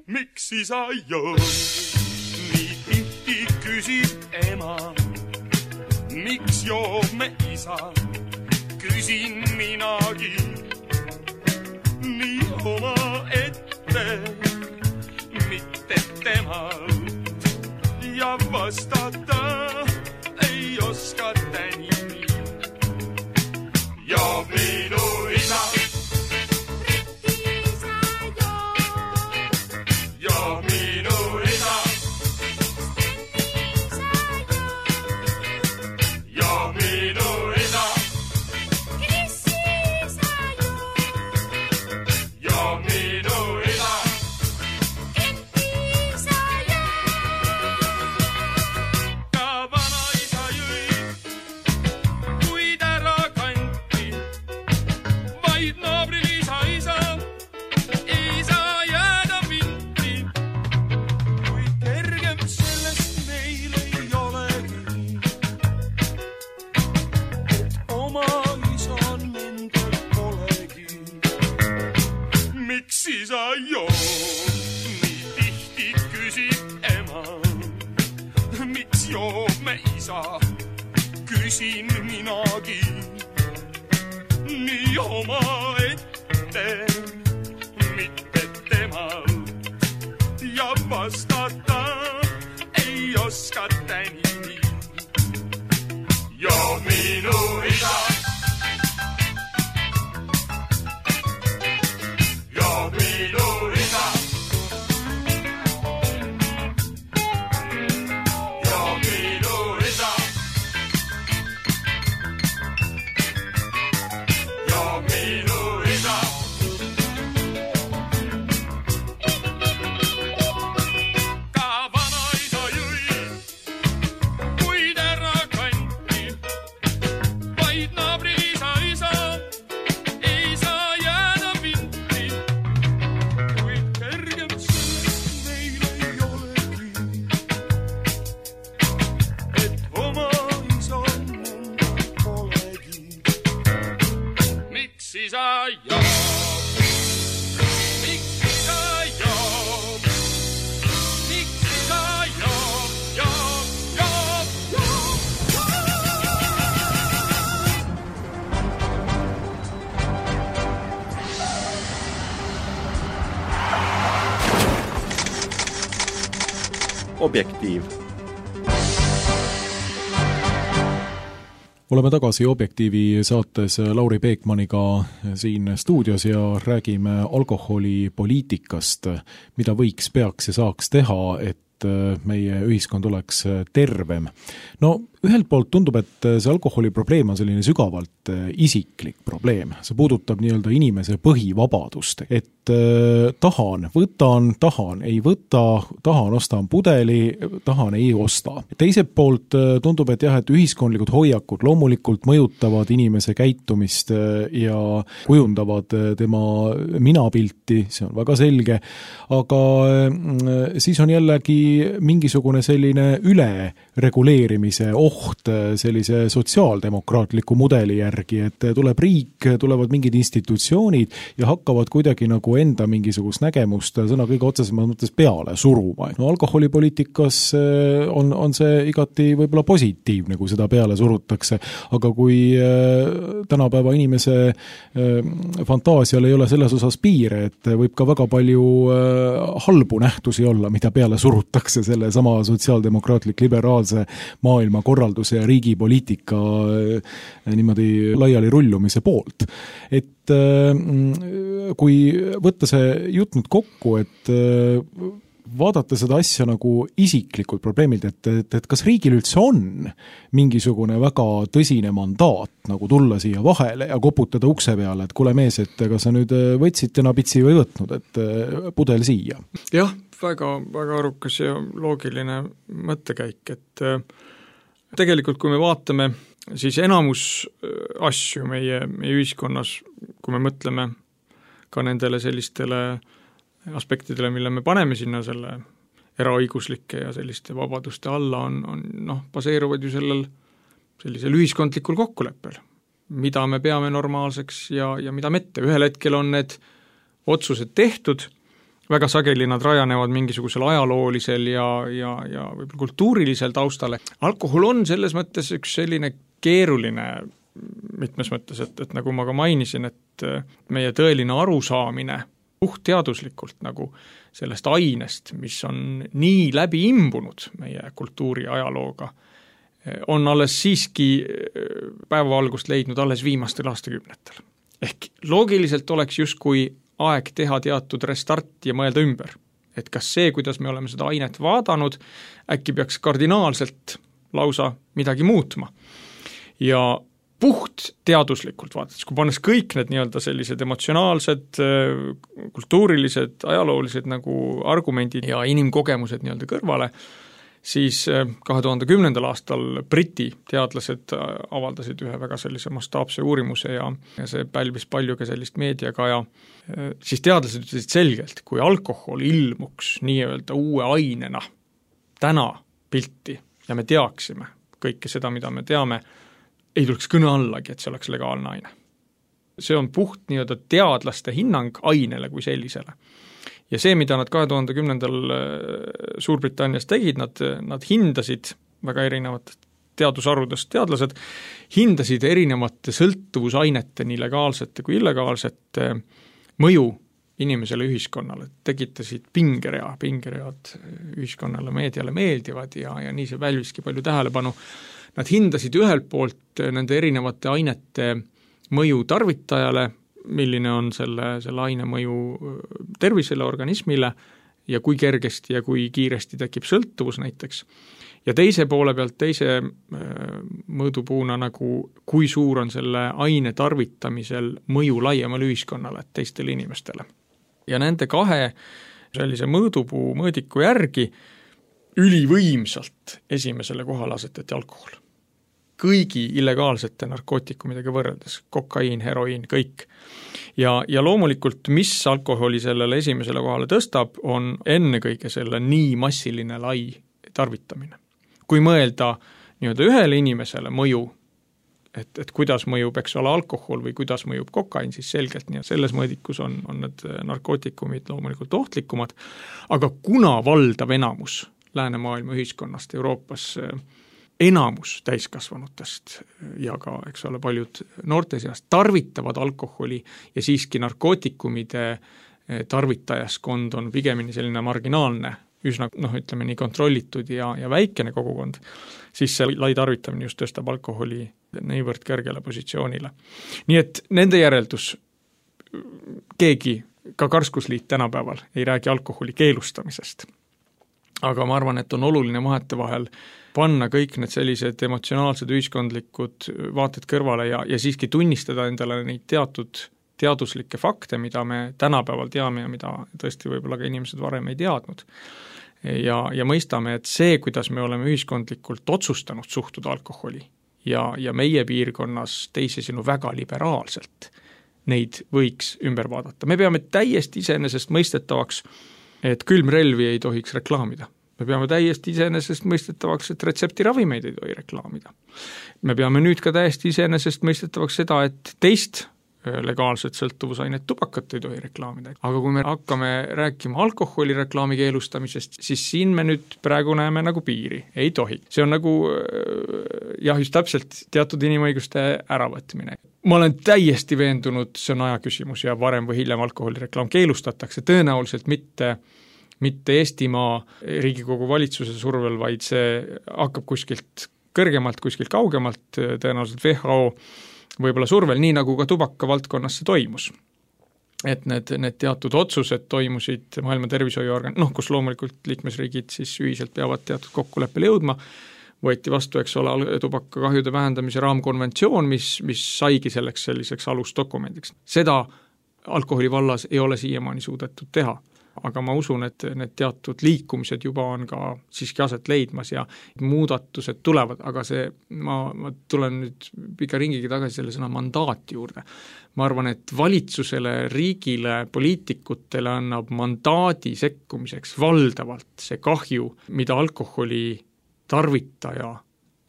Miks isa joo, nii tihti küsib ema, miks joob me isa, küsin minagi nii oma ette, mitte temalt ja vastata ei oskata nii. Joob minu isa, joob minu isa, küsin minagi nii oma ette, mitte temalt ja vastata ei oskata nii. Joo minu isa, joo minu isa, Objektiiv. Oleme tagasi Objektiivi saates Lauri Peekmaniga siin stuudios ja räägime alkoholipoliitikast, mida võiks, peaks ja saaks teha, et meie ühiskond oleks tervem. No ühelt poolt tundub, et see alkoholiprobleem on selline sügavalt isiklik probleem. See puudutab nii-öelda inimese põhivabadust, et äh, tahan, võtan, tahan, ei võta, tahan, ostan pudeli, tahan, ei osta. Teiselt poolt tundub, et jah, et ühiskondlikud hoiakud loomulikult mõjutavad inimese käitumist ja kujundavad tema minapilti, see on väga selge, aga äh, siis on jällegi mingisugune selline ülereguleerimise oht sellise sotsiaaldemokraatliku mudeli järgi, et tuleb riik, tulevad mingid institutsioonid ja hakkavad kuidagi nagu enda mingisugust nägemust sõna kõige otsesemas mõttes peale suruma. No alkoholipoliitikas on, on see igati võib-olla positiivne, kui seda peale surutakse, aga kui tänapäeva inimese fantaasial ei ole selles osas piire, et võib ka väga palju halbu nähtusi olla, mida peale surutakse selle sama sotsiaaldemokraatlik liberaalse maailma korralduse ja riigipoliitika niimoodi laiali rullumise poolt. Et kui võtta see jutt nüüd kokku, et vaadata seda asja nagu isiklikult probleemilt, et, et, et kas riigil üldse on mingisugune väga tõsine mandaat nagu tulla siia vahele ja koputada ukse peale, et kuule mees, et kas sa nüüd võtsid täna pitsi või võtnud, et pudel siia? Jah, väga, väga arukas ja loogiline mõttekäik, et tegelikult kui me vaatame, siis enamus asju meie, meie ühiskonnas, kui me mõtleme ka nendele sellistele aspektidele, mille me paneme sinna selle eraõiguslike ja selliste vabaduste alla, on, on noh, baseeruvad ju sellel sellisel ühiskondlikul kokkuleppel, mida me peame normaalseks ja, ja mida mitte. Ühel hetkel on need otsused tehtud, väga sageli nad rajanevad mingisugusel ajaloolisel ja, ja, ja võib-olla kultuurilisel taustale. Alkohol on selles mõttes üks selline keeruline mitmes mõttes, et, et nagu ma ka mainisin, et meie tõeline arusaamine puhtteaduslikult nagu sellest ainest, mis on nii läbi imbunud meie kultuuri ajalooga, on alles siiski päevavalgust leidnud alles viimastel aastakümnetel. Ehk loogiliselt oleks justkui aeg teha teatud restart ja mõelda ümber. Et kas see, kuidas me oleme seda ainet vaadanud, äkki peaks kardinaalselt lausa midagi muutma. Ja puht teaduslikult vaadates, kui pannes kõik need nii-öelda sellised emotsionaalsed, kultuurilised, ajaloolised nagu argumendid ja inimkogemused nii-öelda kõrvale, siis kahe tuhande kümnendal aastal Briti teadlased avaldasid ühe väga sellise mastaapse uurimuse ja, ja see pälvis palju ka sellist meediaga ja siis teadlased ütlesid selgelt, kui alkohol ilmuks nii-öelda uue ainena täna pilti ja me teaksime kõike seda, mida me teame, ei tuleks kõne allagi, et see oleks legaalne aine. See on puht nii-öelda teadlaste hinnang ainele kui sellisele. Ja see, mida nad kahe tuhande kümnendal Suurbritannias tegid, nad, nad hindasid väga erinevat teadusarvudest teadlased, hindasid erinevate sõltuvusainete, nii legaalsete kui illegaalsete mõju inimesele ühiskonnale, tekitasid pingerea, pingeread ühiskonnale, meediale meeldivad ja, ja nii see välviski palju tähelepanu. Nad hindasid ühelt poolt nende erinevate ainete mõju tarvitajale, milline on selle, selle aine mõju tervisele, organismile ja kui kergesti ja kui kiiresti tekib sõltuvus näiteks. Ja teise poole pealt, teise mõõdupuuna nagu kui suur on selle aine tarvitamisel mõju laiemale ühiskonnale, teistele inimestele. Ja nende kahe sellise mõõdupuu mõõdiku järgi ülivõimsalt esimesele kohale asetati alkohol. Kõigi illegaalsete narkootikumidega võrreldes, kokaiin, heroiin, kõik. Ja, ja loomulikult, mis alkoholi sellele esimesele kohale tõstab, on ennekõike selle nii massiline lai tarvitamine. Kui mõelda nii-öelda ühele inimesele mõju, et, et kuidas mõjub, eks ole, alkohol või kuidas mõjub kokaiin, siis selgelt nii, selles mõõdikus on, on need narkootikumid loomulikult ohtlikumad, aga kuna valdav enamus läänemaailma ühiskonnast Euroopas enamus täiskasvanutest ja ka, eks ole, paljud noorte seast tarvitavad alkoholi ja siiski narkootikumide tarvitajaskond on pigemini selline marginaalne üsna noh, ütleme nii kontrollitud ja, ja väikene kogukond, siis see lai tarvitamine just tõstab alkoholi niivõrd kõrgele positsioonile. Nii et nende järeldus, keegi, ka Karskusliit tänapäeval ei räägi alkoholi keelustamisest. Aga ma arvan, et on oluline vahete vahel panna kõik need sellised emotsionaalsed ühiskondlikud vaated kõrvale ja, ja siiski tunnistada endale neid teatud teaduslikke fakte, mida me tänapäeval teame ja mida tõesti võib-olla ka inimesed varem ei teadnud. Ja, ja mõistame, et see, kuidas me oleme ühiskondlikult otsustanud suhtuda alkoholi ja, ja meie piirkonnas teisisõnu väga liberaalselt, neid võiks ümber vaadata. Me peame täiesti iseenesest mõistetavaks, et külmrelvi ei tohiks reklaamida. Me peame täiesti iseenesest mõistetavaks, et retseptiravimeid ei tohi reklaamida. Me peame nüüd ka täiesti iseenesest mõistetavaks seda, et teist legaalset sõltuvusainet tubakat ei tohi reklaamida. Aga kui me hakkame rääkima alkoholi reklaami keelustamisest, siis siin me nüüd praegu näeme nagu piiri. Ei tohi. See on nagu jah, just täpselt teatud inimõiguste äravõtmine. Ma olen täiesti veendunud, see on aja küsimus ja varem või hiljem alkoholireklaam keelustatakse, tõenäoliselt mitte, mitte Eestimaa Riigikogu valitsuse survel, vaid see hakkab kuskilt kõrgemalt, kuskilt kaugemalt, tõenäoliselt W H O võib-olla survel, nii nagu ka tubaka valdkonnas see toimus. Et need, need teatud otsused toimusid Maailma Tervishoiuorgan, noh, kus loomulikult liikmesriigid siis ühiselt peavad teatud kokkuleppele jõudma, võeti vastu, eks ole, tubakakahjude vähendamise raamkonventsioon, mis, mis saigi selleks selliseks alusdokumendiks. Seda alkoholi vallas ei ole siiamaani suudetud teha. Aga ma usun, et need teatud liikumised juba on ka siiski aset leidmas ja muudatused tulevad, aga see, ma, ma tulen nüüd pika ringigi tagasi selle sõna mandaati juurde. Ma arvan, et valitsusele, riigile, poliitikutele annab mandaadi sekkumiseks valdavalt see kahju, mida alkoholi tarvitaja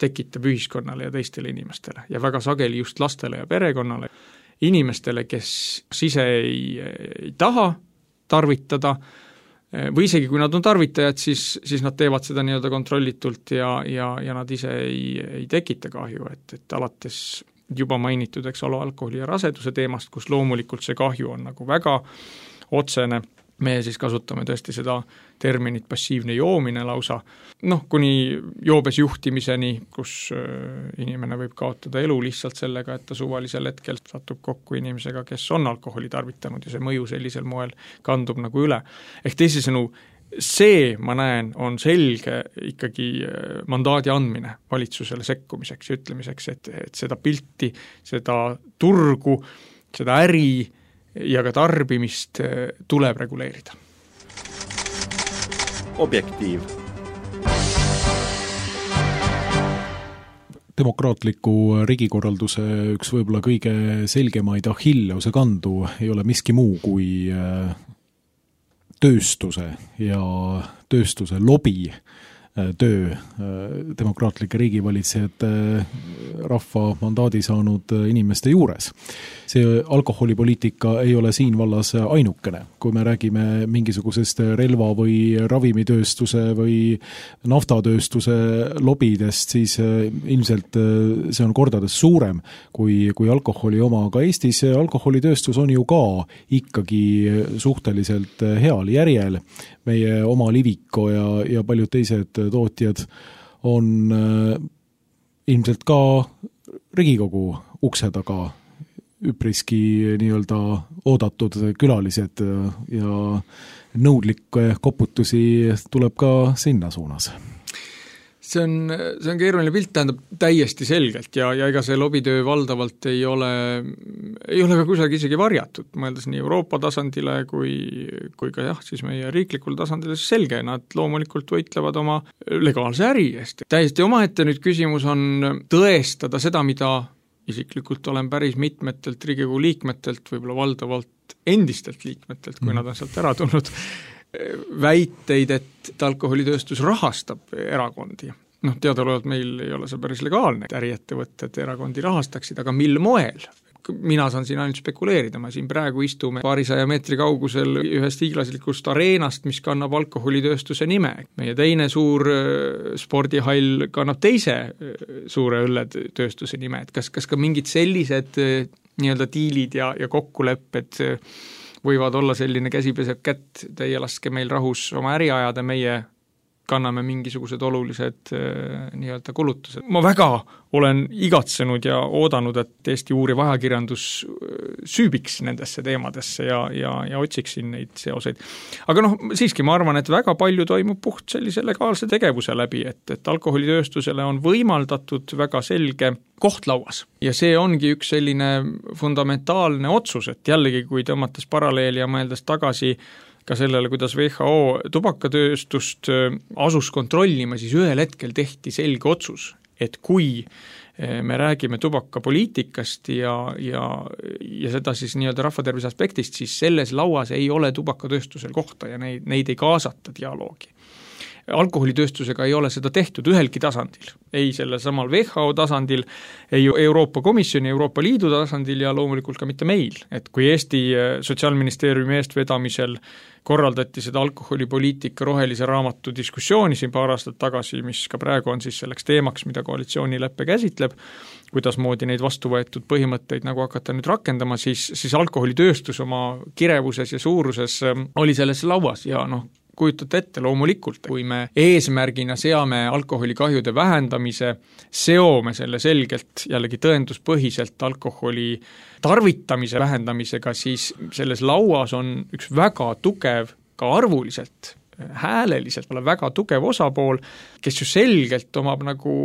tekitab ühiskonnale ja teistele inimestele ja väga sageli just lastele ja perekonnale, inimestele, kes ise ei, ei taha tarvitada või isegi kui nad on tarvitajad, siis, siis nad teevad seda nii-öelda kontrollitult ja, ja, ja nad ise ei, ei tekita kahju, et, et alates juba mainitud, eks ole, alkoholi ja raseduse teemast, kus loomulikult see kahju on nagu väga otsene, me siis kasutame tõesti seda terminit passiivne joomine lausa, noh, kuni joobes juhtimiseni, kus inimene võib kaotada elu lihtsalt sellega, et ta suvalisel hetkel satub kokku inimesega, kes on alkoholi tarvitanud ja see mõju sellisel moel kandub nagu üle. Ehk teisisõnu, see, ma näen, on selge ikkagi mandaadi andmine valitsusele sekkumiseks ja ütlemiseks, et, et seda pilti, seda turgu, seda äri ja ka tarbimist tuleb reguleerida. Objektiiv. Demokraatliku riigikorralduse üks võib-olla kõige selgemaid Achilleuse kandu ei ole miski muu kui tööstuse ja tööstuse lobi töö demokraatlike riigivalitsejate rahva mandaadi saanud inimeste juures. See alkoholipoliitika ei ole siin vallas ainukene. Kui me räägime mingisugusest relva või ravimitööstuse või naftatööstuse lobidest, siis ilmselt see on kordades suurem kui, kui alkoholi oma. Aga Eestis alkoholitööstus on ju ka ikkagi suhteliselt heal järjel. Meie oma Liviko ja, ja paljud teised tootjad on äh, ilmselt ka Riigikogu ukse taga üpriski nii-öelda oodatud külalised ja nõudlikke koputusi tuleb ka sinna suunas. See on, see on keeruline pilt, tähendab täiesti selgelt ja, ja ega see lobitöö valdavalt ei ole, ei ole ka kusagil isegi varjatud, mõeldes nii Euroopa tasandile kui, kui ka jah, siis meie riiklikul tasandile selge, nad loomulikult võitlevad oma legaalse äri eest. Täiesti omaette nüüd küsimus on tõestada seda, mida isiklikult olen päris mitmetelt Riigikogu liikmetelt, võib-olla valdavalt endistelt liikmetelt, kui mm. nad on sealt ära tulnud, väiteid, et alkoholitööstus rahastab erakondi. Noh, teadaolevalt meil ei ole see päris legaalne, et äriettevõtted erakondi rahastaksid, aga mil moel? Mina saan siin ainult spekuleerida, me siin praegu istume paarisaja meetri kaugusel ühest hiiglaslikust areenast, mis kannab alkoholitööstuse nime. Meie teine suur spordihall kannab teise suure õlletööstuse nime, et kas, kas ka mingid sellised nii-öelda diilid ja, ja kokkulepped võivad olla selline käsi peseb kätt, teie laske meil rahus oma äri ajada, meie kanname mingisugused olulised äh, nii-öelda kulutused. Ma väga olen igatsenud ja oodanud, et Eesti uuriv ajakirjandus süübiks nendesse teemadesse ja, ja, ja otsiksin neid seoseid. Aga noh, siiski ma arvan, et väga palju toimub puht sellise legaalse tegevuse läbi, et, et alkoholitööstusele on võimaldatud väga selge koht lauas. Ja see ongi üks selline fundamentaalne otsus, et jällegi, kui tõmmates paralleeli ja mõeldes tagasi ka sellele, kuidas W H O tubakatööstust asus kontrollima, siis ühel hetkel tehti selge otsus, et kui me räägime tubakapoliitikast ja, ja, ja seda siis nii-öelda rahvatervise aspektist, siis selles lauas ei ole tubakatööstusel kohta ja neid, neid ei kaasata dialoogi. Alkoholitööstusega ei ole seda tehtud ühelgi tasandil, ei sellel samal W H O tasandil, ei Euroopa Komisjoni, Euroopa Liidu tasandil ja loomulikult ka mitte meil. Et kui Eesti Sotsiaalministeeriumi eestvedamisel korraldati seda alkoholipoliitika rohelise raamatu diskussiooni siin paar aastat tagasi, mis ka praegu on siis selleks teemaks, mida koalitsioonileppe käsitleb, kuidas moodi neid vastu võetud põhimõtteid nagu hakata nüüd rakendama, siis, siis alkoholitööstus oma kirevuses ja suuruses oli selles lauas ja noh, kujutate ette loomulikult, kui me eesmärgina seame alkoholikahjude vähendamise, seome selle selgelt jällegi tõenduspõhiselt alkoholi tarvitamise vähendamisega, siis selles lauas on üks väga tugev, ka arvuliselt, hääleliselt väga tugev osapool, kes ju selgelt omab nagu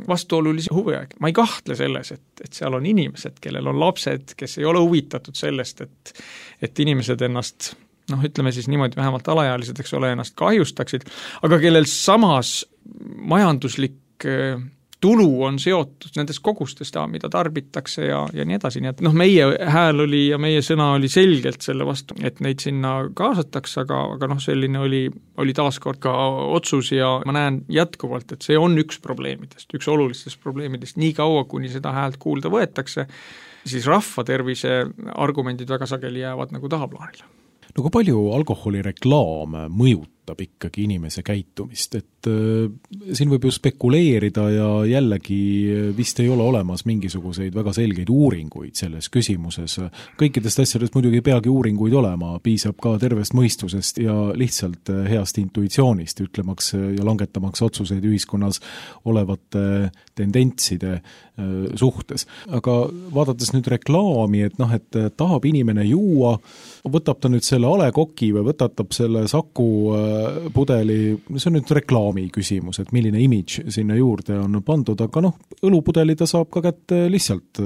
vastuolulisi huve. Ma ei kahtle selles, et, et seal on inimesed, kellel on lapsed, kes ei ole huvitatud sellest, et, et inimesed ennast noh, ütleme siis niimoodi, vähemalt alaealised, eks ole, ennast kahjustaksid, aga kellel samas majanduslik tulu on seotud nendest kogustest, mida tarbitakse ja, ja nii edasi, nii et noh, meie hääl oli ja meie sõna oli selgelt selle vastu, et neid sinna kaasatakse, aga, aga noh, selline oli, oli taaskord ka otsus ja ma näen jätkuvalt, et see on üks probleemidest, üks olulistest probleemidest, nii kaua, kuni seda häält kuulda võetakse, siis rahvatervise argumendid väga sageli jäävad nagu tahaplaanile. No kui palju alkoholireklaam mõjutab ikkagi inimese käitumist, et äh, siin võib ju spekuleerida ja jällegi vist ei ole olemas mingisuguseid väga selgeid uuringuid selles küsimuses. Kõikidest asjadest muidugi ei peagi uuringuid olema, piisab ka tervest mõistusest ja lihtsalt heast intuitsioonist, ütlemaks ja langetamaks otsuseid ühiskonnas olevate tendentside äh, suhtes. Aga vaadates nüüd reklaami, et noh, et tahab inimene juua, võtab ta nüüd selle alekoki või võtatab selle Saku pudeli, see on nüüd reklaami küsimus, et milline imidž sinna juurde on pandud, aga noh, õlupudeli ta saab ka kätte lihtsalt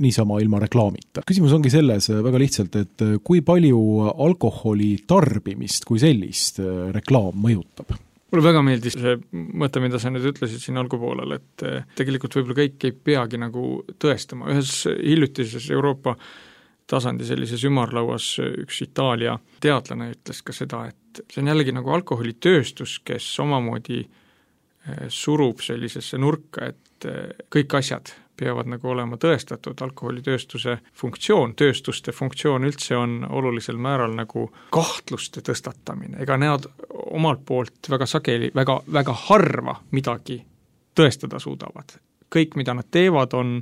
niisama ilma reklaamita. Küsimus ongi selles väga lihtsalt, et kui palju alkoholi tarbimist kui sellist reklaam mõjutab? Mulle väga meeldis see mõte, mida sa nüüd ütlesid siin algupoolel, et tegelikult võib-olla kõik ei peagi nagu tõestama. Ühes hiljutises Euroopa tasandi sellises ümarlauas üks Itaalia teadlane ütles ka seda, et see on jällegi nagu alkoholitööstus, kes omamoodi surub sellisesse nurka, et kõik asjad peavad nagu olema tõestatud, alkoholitööstuse funktsioon, tööstuste funktsioon üldse on olulisel määral nagu kahtluste tõstatamine, ega need omalt poolt väga sageli, väga, väga harva midagi tõestada suudavad. Kõik, mida nad teevad, on,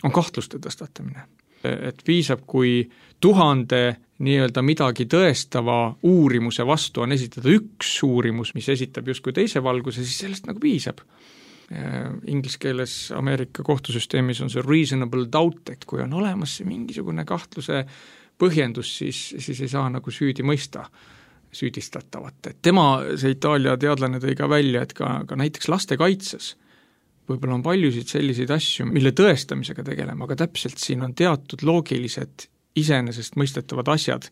on kahtluste tõstatamine. Et piisab, kui tuhande nii-öelda midagi tõestava uurimuse vastu on esitada üks uurimus, mis esitab justkui teise valguse, siis sellest nagu piisab. Inglise keeles Ameerika kohtusüsteemis on see reasonable doubt, et kui on olemas see mingisugune kahtluse põhjendus, siis, siis ei saa nagu süüdi mõista süüdistatavat. Et tema, see Itaalia teadlane tõi ka välja, et ka, ka näiteks lastekaitses võib-olla on paljusid selliseid asju, mille tõestamisega tegelema, aga täpselt siin on teatud loogilised iseenesest mõistetavad asjad,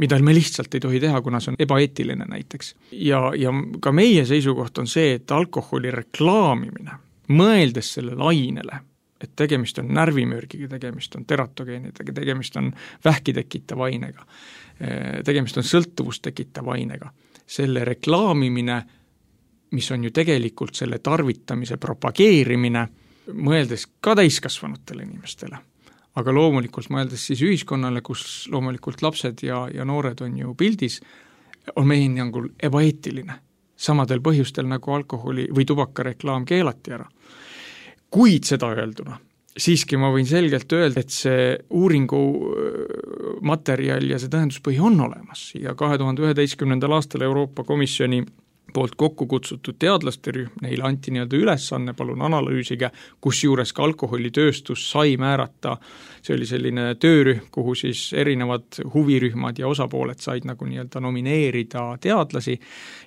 mida me lihtsalt ei tohi teha, kuna see on ebaeetiline näiteks. Ja, ja ka meie seisukoht on see, et alkoholi reklaamimine, mõeldes sellele ainele, et tegemist on närvimürgiga, tegemist on teratogeenidega, tegemist on vähki tekitava ainega, tegemist on sõltuvust tekitava ainega, selle reklaamimine, mis on ju tegelikult selle tarvitamise propageerimine, mõeldes ka täiskasvanutele inimestele. Aga loomulikult mõeldes siis ühiskonnale, kus loomulikult lapsed ja, ja noored on ju pildis, on meie hinnangul ebaeetiline. Samadel põhjustel nagu alkoholi või tubakareklaam keelati ära. Kuid seda öelduna, siiski ma võin selgelt öelda, et see uuringu materjal ja see tõenduspõhi on olemas ja kahe tuhande üheteistkümnendal aastal Euroopa Komisjoni poolt kokku kutsutud teadlaste rühm, neile anti nii-öelda ülesanne, palun analüüsige, kus juures ka alkoholitööstus sai määrata, see oli selline töörühm, kuhu siis erinevad huvirühmad ja osapooled said nagu nii-öelda nomineerida teadlasi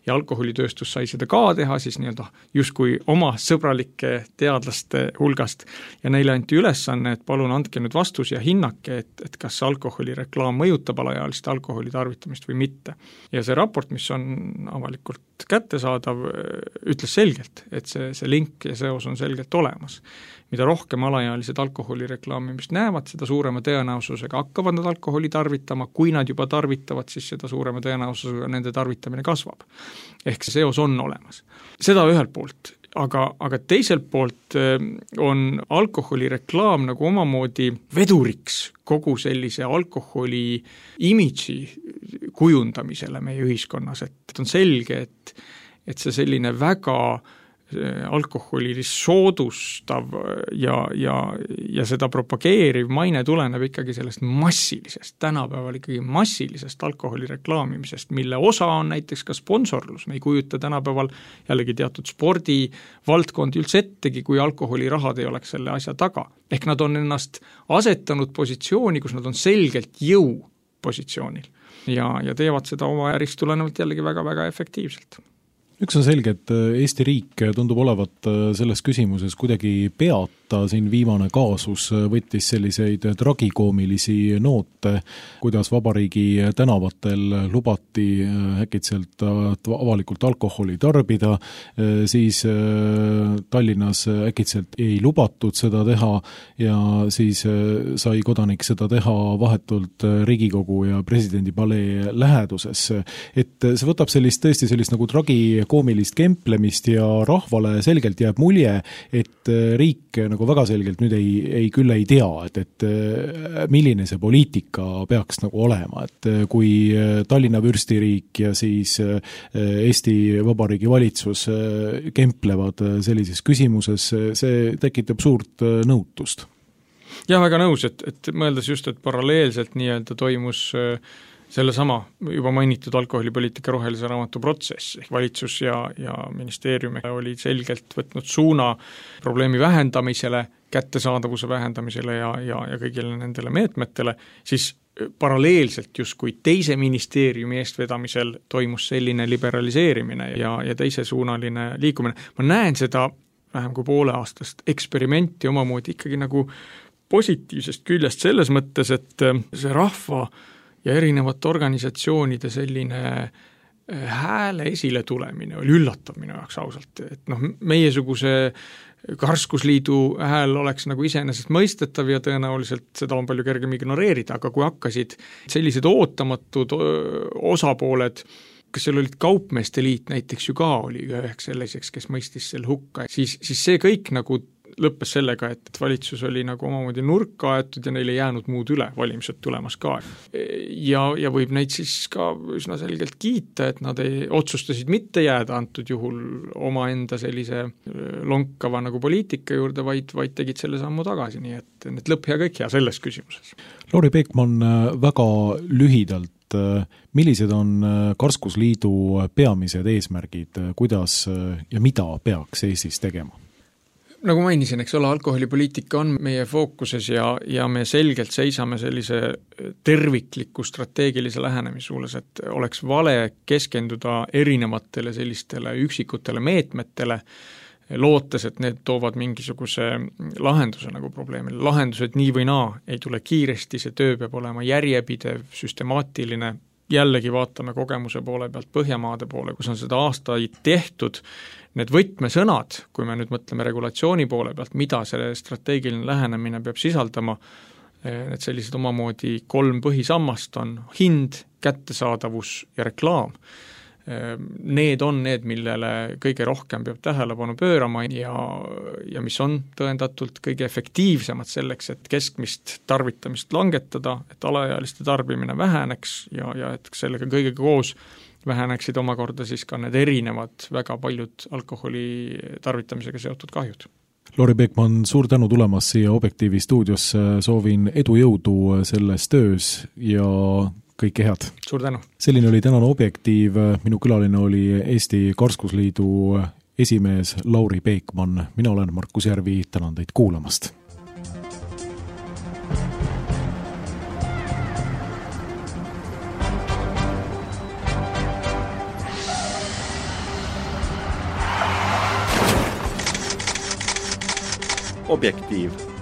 ja alkoholitööstus sai seda ka teha siis nii-öelda justkui oma sõbralike teadlaste hulgast ja neile anti ülesanne, et palun andke nüüd vastus ja hinnake, et, et kas alkoholireklaam mõjutab alaealiste alkoholi tarvitamist või mitte. Ja see raport, mis on avalikult kättesaadav, ütles selgelt, et see, see link ja seos on selgelt olemas. Mida rohkem alaealised alkoholireklaamimist näevad, seda suurema tõenäosusega hakkavad nad alkoholi tarvitama, kui nad juba tarvitavad, siis seda suurema tõenäosusega nende tarvitamine kasvab. Ehk see seos on olemas. Seda ühelt poolt, aga, aga teiselt poolt on alkoholireklaam nagu omamoodi veduriks kogu sellise alkoholi imidži kujundamisele meie ühiskonnas, et on selge, et, et see selline väga alkoholi soodustav ja, ja, ja seda propageeriv maine tuleneb ikkagi sellest massilisest, tänapäeval ikkagi massilisest alkoholi reklaamimisest, mille osa on näiteks ka sponsorlus. Me ei kujuta tänapäeval jällegi teatud spordivaldkondi üldse ettegi, kui alkoholirahad ei oleks selle asja taga. Ehk nad on ennast asetanud positsiooni, kus nad on selgelt jõu positsioonil ja, ja teevad seda oma ärist tulenevalt jällegi väga-väga efektiivselt. Üks on selge, et Eesti riik tundub olevat selles küsimuses kuidagi peata, siin viimane kaasus võttis selliseid tragikoomilisi noote, kuidas vabariigi tänavatel lubati äkitselt avalikult alkoholi tarbida, siis Tallinnas äkitselt ei lubatud seda teha ja siis sai kodanik seda teha vahetult Riigikogu ja presidendi palee läheduses. Et see võtab sellist tõesti sellist nagu tragi koomilist kemplemist ja rahvale selgelt jääb mulje, et riik nagu väga selgelt nüüd ei, ei küll ei tea, et, et milline see poliitika peaks nagu olema, et kui Tallinna vürstiriik ja siis Eesti Vabariigi valitsus kemplevad sellises küsimuses, see tekitab suurt nõutust. Jah, väga nõus, et, et mõeldes just, et paralleelselt nii-öelda toimus selle sama juba mainitud alkoholipoliitika rohelise raamatu protsess, ehk valitsus ja, ja ministeerium oli selgelt võtnud suuna probleemi vähendamisele, kättesaadavuse vähendamisele ja, ja, ja kõigile nendele meetmetele, siis paralleelselt justkui teise ministeeriumi eestvedamisel toimus selline liberaliseerimine ja, ja teisesuunaline liikumine. Ma näen seda vähem kui poole aastast eksperimenti omamoodi ikkagi nagu positiivsest küljest selles mõttes, et see rahva ja erinevate organisatsioonide selline hääle esile tulemine oli üllatav minu jaoks ausalt, et noh, meiesuguse Karskusliidu hääl oleks nagu iseenesest mõistetav ja tõenäoliselt seda on palju kergem ignoreerida, aga kui hakkasid sellised ootamatud osapooled, kas seal olid kaupmeeste liit näiteks ju ka oli üheks selliseks, kes mõistis selle hukka, siis, siis see kõik nagu lõppes sellega, et valitsus oli nagu omamoodi nurka aetud ja neile jäänud muud üle, valimised tulemas ka. Ja, ja võib neid siis ka üsna selgelt kiita, et nad ei, otsustasid mitte jääda antud juhul oma enda sellise lonkava nagu poliitika juurde, vaid, vaid tegid selle sammu tagasi, nii et, et lõpp hea kõik hea selles küsimuses. Lauri Peekman, väga lühidalt, millised on Karskusliidu peamised eesmärgid, kuidas ja mida peaks Eestis tegema? Nagu mainisin, eks ole, alkoholipoliitika on meie fookuses ja, ja me selgelt seisame sellise tervikliku strateegilise lähenemissuules, et oleks vale keskenduda erinevatele sellistele üksikutele meetmetele, lootes, et need toovad mingisuguse lahenduse nagu probleemile. Lahendused nii või naa ei tule kiiresti, see töö peab olema järjepidev, süstemaatiline, jällegi vaatame kogemuse poole pealt Põhjamaade poole, kus on seda aastaid tehtud. Need võtmesõnad, kui me nüüd mõtleme regulatsiooni poole pealt, mida see strateegiline lähenemine peab sisaldama, need sellised omamoodi kolm põhisammast on hind, kättesaadavus ja reklaam. Need on need, millele kõige rohkem peab tähelepanu pöörama ja, ja mis on tõendatult kõige efektiivsemad selleks, et keskmist tarvitamist langetada, et alaealiste tarbimine väheneks ja, ja et sellega kõigega koos väheneksid omakorda siis ka need erinevad väga paljud alkoholi tarvitamisega seotud kahjud. Lauri Peekman, suur tänu tulemast siia Objektiivi stuudiosse, soovin edu jõudu selles töös ja kõike head. Suur tänu. Selline oli tänane Objektiiv, minu külaline oli Eesti Karskusliidu esimees Lauri Peekman. Mina olen Markus Järvi, tänan teid kuulamast. Objektiiv.